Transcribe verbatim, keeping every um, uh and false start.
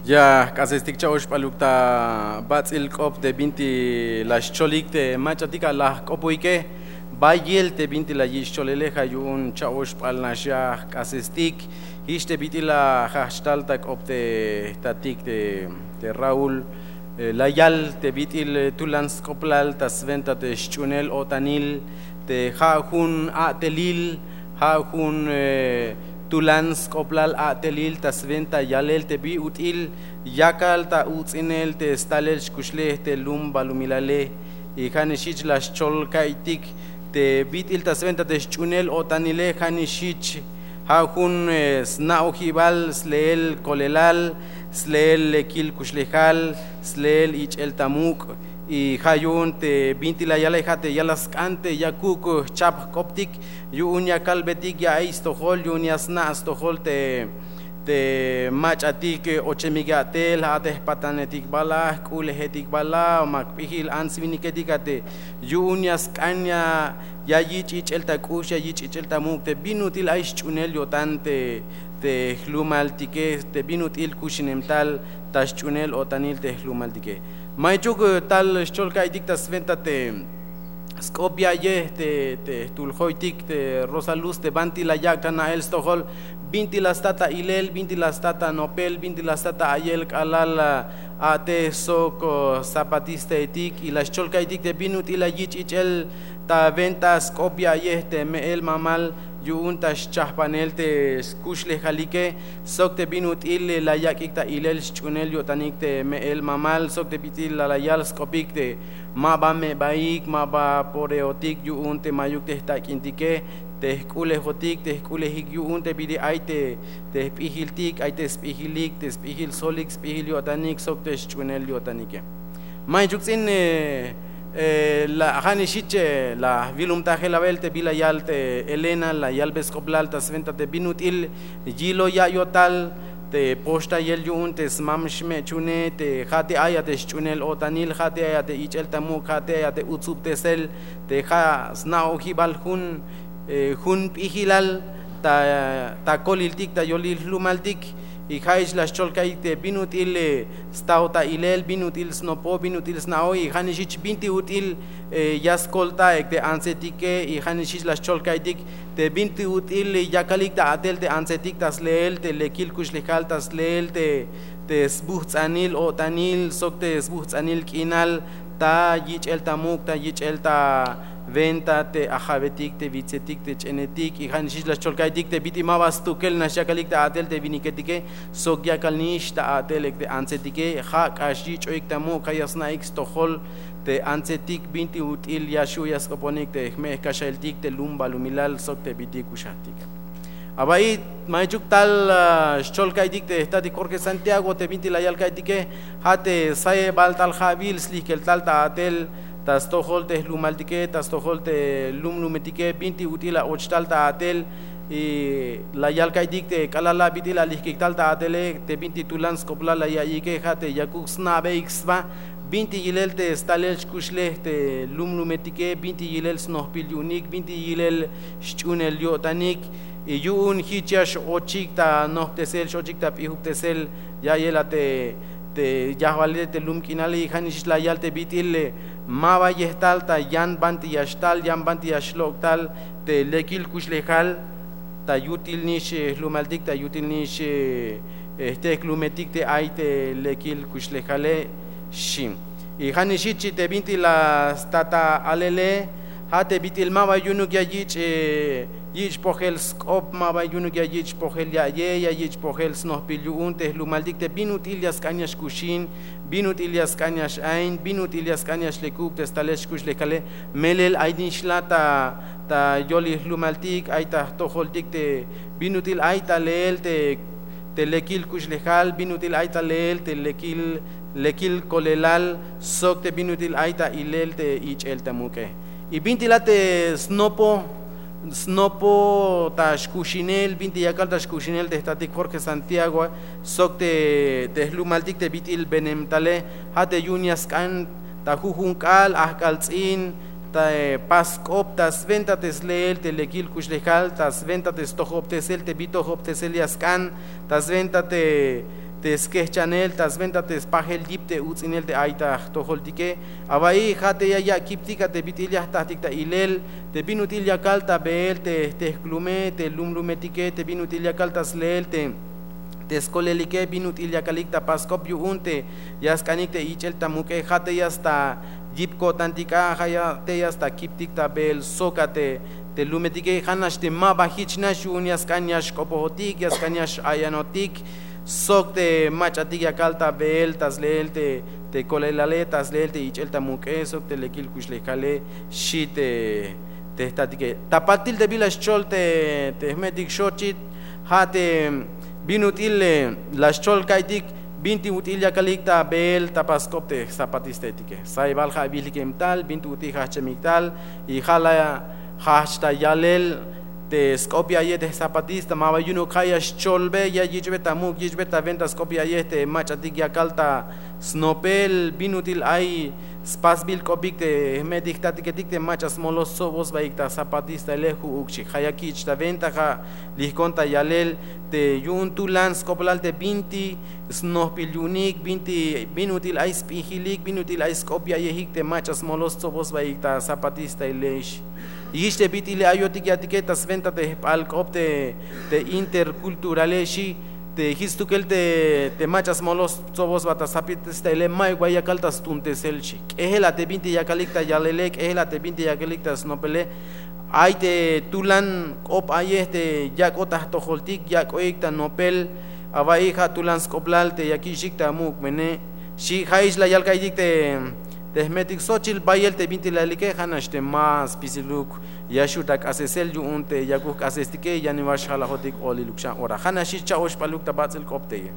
Ya jk'asestik cha'oxp'aluk ta bats'il k'op te binti la xcholik te mach'atik a la jk'opoike. Bayel te binti la yich' cholele ja' yu'un cha'oxp'al nax ya jk'asestik. Jich te bit'il la jajch tal ta k'op te jtatik te Raúl, la yal te bit'il tulan sk'oplal ta swenta te sch'uunel o'tanil, te ja' jun a'telil, ja' jun tulan sk'oplal a'telil ta swenta yalel te bi ut'il yakal ta uts'inel te stalel xkuxlej te lum balumilale. Y ja' nix jich la xchol ka'iytik te bit'il ta swenta te sch'uunel o'tanile, ja' nix jich ja' jun sna'ojibal sleel kolelal, sleel lekil kuxlejal, sleel ich'el ta muk'. Y ja' yu'un te binti la yale ja' te ya la sk'an te yakuk jchap jk'optik yu'un ya kalbetik ya ay stojol, yu'un ya sna' stojol te te mach'atik ochemik a'tel, ja' te jpatanetik bala, jk'ulejetik bala, ma jp'ijil ants winiketik a te yu'un ya sk'an ya yich' ich'el ta k'ux, ya yich' ich'el ta muk' te bin ut'il ay sch'uunel yo'tan te te jlumaltike, te bin ut'il kuxinem tal ta sch'uunel o'tanil te jlumaltike. Maychuk tal xchol ka'iytik ta swenta te sk'op ya'yej te jtul joytik te Rosa Luz te banti la yak' ta na'el stojol, binti la sta ta ilel, binti la sta ta nopel, binti la sta ta a'yel k'alal a'tej sok zapatistaetik. Y la xchol ka'iytik te bin ut'il la yich' ich'el ta wenta sk'op ya'yej te me'el mamal yu'un ta xchajpanel te skuxlejalike, sok te bin ut'il la yak'ik ta ilel sch'uunel yo'tanik te me'el mamal, sok te bit'il la yal sk'opik te ma ba me'baik, ma ba poreotik yu'un te mayuk te jtak'intike, te jk'ulejotik, te jk'ulejik yu'un te bit'il ay te te jp'ijiltik, ay te sp'ijilik, te sp'ijil solik, sp'ijil yo'tanik sok te sch'uunel yo'tanike. Maychuk ts'in la ja' nix jich la jwilumtajel awel te bila yal te Elena, la yalbe sk'oplal ta swenta te bin ut'il yilo ya yo'tal te poxtayel yu'un te smam xme'chune, te ja' te ay a te sch'uunel o'tanil, ja' te ay a te ich'el ta muk', ja' te ay a te utsubtesel, te ja' sna'ojibal jun jun p'ijilal ta koliltik ta yolil jlumaltik. Y ja' jich la xchol ka'iytik te bin ut'il staw ta ilel, bin ut'il snopo, bin ut'il sna'oj, y ja' nix jich binti ut'il ya skoltaik te antsetike. Y ja' nix jich la xchol ka'iytik te binti ut'il yakalik ta a'tel te antsetik ta sleel te lekil kuxlejal, ta sleel te te sbujts'anil o'tanil sok te sbujts'anil k'inal ta yich'el ta muk', ta yich'el ta wenta te ajawetik, te witsetik, te ch'enetik. Y ja' nix jich la xchol ka'iytik te bit'il ma ba stukel nax yakalik ta a'tel te winiketike, sok yakal nix ta a'tel ek te antsetike. Ja' k'ax yich'oik ta muk', ja' ya sna'ik stojol te antsetik binti ut'il ya xju' ya sk'oponik te jme' jkaxailtik te lum balumilal sok te bit'il kuxajtik. Aba'i, maychuk tal xchol ka'iytik te jtatik Jorge Santiago te binti la yal ka'iytike, ja' te sayebal tal ja'wil slijkel tal ta a'tel ta stojol te jlumaltike, ta stojol te lumlumetike, binti ut'il la och tal ta a'tel. Y la yal ka'iytik te k'alal la bit'il la lijkik tal ta a'tele, te binti tulan sk'oplal la ya'iyike, ja' te yakuk sna'beik sba binti yilel te stalel xkuxlej te lumlumetike, binti yilel snojbil yu'unik, binti yilel sch'uunel yo'tanik. Y yu'un jich ya x-ochik ta nojbtesel, x-ochik ta p'ijubtesel ya'yel a te te yajwalile te lum k'inale. Y ja' nix jich la yal te bit'il ma ba yejtal ta yan banti ya xtal, yan banti ya xlok' tal te lekil kuxlejal ta yutil nix jlumaltik, ta yutil nix jtejk'lumetik te ay te lekil kuxlejale, xchi. Y ja' nix jich te binti la sta ta alele, ja' te bit'il ma ba yu'unuk ya yich' yich' pojel sk'op, ma ba yu'unuk ya yich' pojel ya'yej, ya yich' pojel snojbil yu'un te jlumaltik te bin ut'il ya sk'an ya xkuxin, bin ut'il ya sk'an ya x-ain, bin ut'il ya sk'an ya xlekub te stalel xkuxlejale. Melel ay nix la ta ta yolil jlumaltik, ay ta jtojoltik te bin ut'il ay ta leel te te lekil kuxlejal, bin ut'il ay ta leel te lekil lekil kolelal, sok te bin ut'il ay ta ilel te ich'el ta muk'e. Y binti la te snopo snopo ta xkuxinel, binti yakal ta xkuxinel te jtatik Jorge Santiago sok te te jlumaltik te bit'il benem tale, ja' te yu'un ya sk'an ta jujun k'aal, ajk'al ts'in, ta pas k'op, ta swenta te sleel te lekil kuxlejal, ta swenta te stojobtesel te bi tojobtesel ya sk'an, ta swenta te te skehchanel ta swenta te spajel yip te uts'inel te ay ta jtojoltike. Awa'iy ja' te ya yak' kiptik a te bit'il ya jtatik ta ilel te bin ut'il ya kal ta beel te jtehklume te lumlumetike, te bin ut'il ya kal ta sleel te te skolelike, bin ut'il ya kalik ta pask'op yu'un te ya sk'anik te ich'el ta muk'e. Ja' te ya sta yip ko'tantik a, ja' ya te ya sta kiptik ta beel sok a te te lumetike. Ja' nax te ma ba jich nax yu'un ya sk'an ya xk'opojotik, ya sk'an ya x'ayanotik sok te mach'atik ya kal ta beel ta sleel te te kolelale, ta sleel te ich'el ta muk'e sok te lekil kuxlejale, xi te te jtatike. Ta patil te bila xchol te te jme'tik xochit, ja' te bin ut'il la xchol ka'iytik, binti ut'il ya kalik ta beel ta pask'op te jzapatistahetike. Saybal ja' bijlikem tal, binti ut'il jajch'emik tal. Y ja' la jajch' ta yalel te sk'op ya ya'iye te jzapatista, ma ba yu'unuk ja' ya xcholbe, ya yich'be ta muk', yich'be ta wenta sk'op ya ya'iye te mach'atik ya kal ta snopel, bin ut'il ay spasbil k'opik te jme'tik jtatiketik te mach'a smoloj stsoboj sbaik ta zapatistahile. Ju'uk xchi, ja' ya kich' ta wenta, ja' lijkon ta yalel te yu'un tulan sk'oplal te binti snojbil yu'unik, binti bin ut'il ay sp'ijilik, bin ut'il ay sk'op ya ya'iyejik te mach'a smoloj stsoboj sbaik ta zapatistahile, xchi. Jich te bit'ile ayotik ya'tike ta swenta te jb'alk'op te te interculturale, xchi. Te jich stukel te te mach'a smoloj stsoboj sba ta zapatistahile, ma'yuk ba yakal ta stuuntesel, xchi. K'ejel a te binti yakalik ta yalele, k'ejel a te binti yakalik ta snopele. Ay te tulan k'op a'yej te yak'ot ta jtojoltik, yak'oik ta nopel. Awa'iy ja' tulan sk'oplal te ya kich'tik ta muk'bene, xchi. Ja' jich la yal ka'iytik te te jme'tik xochil, bayel te binti la yalike ja' nax te ma spisiluk ya xu' ta k'asesel yu'un te yakuk jk'asestike ya niwan xjalajotik oliluk xan ora. Ja' nax jich cha'oxp'aluk ta bats'il k'op teye.